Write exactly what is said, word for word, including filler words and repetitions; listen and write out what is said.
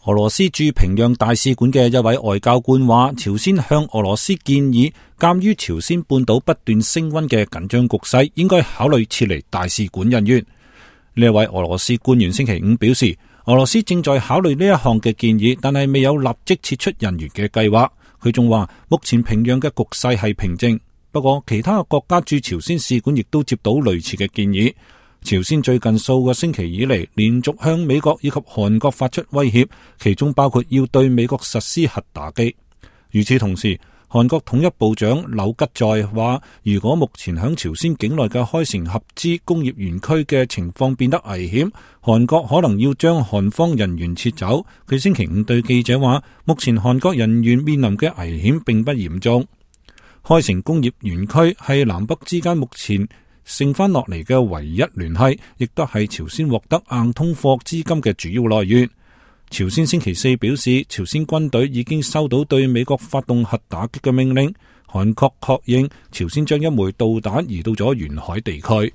俄羅斯駐平壤大使館嘅一位外交官話，朝鮮向俄羅斯建議，鑒於朝鮮半島不斷升溫嘅緊張局勢，應該考慮撤離大使館人員。呢一位俄羅斯官員星期五表示，俄羅斯正在考慮呢一項嘅建議，但係未有立即撤出人員嘅計劃。佢仲話，目前平壤嘅局勢係平靜，不過其他國家駐朝鮮使館亦都接到類似嘅建議。朝鮮最近數個星期以嚟，連續向美國以及韓國發出威脅，其中包括要對美國實施核打擊。與此同時，韓國統一部長柳吉在話，如果目前響朝鮮境內嘅開城合資工業園區嘅情況變得危險，韓國可能要將韓方人員撤走。佢星期五對記者話，目前韓國人員面臨嘅危險並不嚴重。開城工業園區係南北之間目前剩翻落嚟嘅唯一聯繫，亦都係朝鮮獲得硬通貨資金嘅主要來源。朝鮮星期四表示，朝鮮軍隊已經收到對美國發動核打擊嘅命令。韓國確認朝鮮將一枚導彈移到咗沿海地區。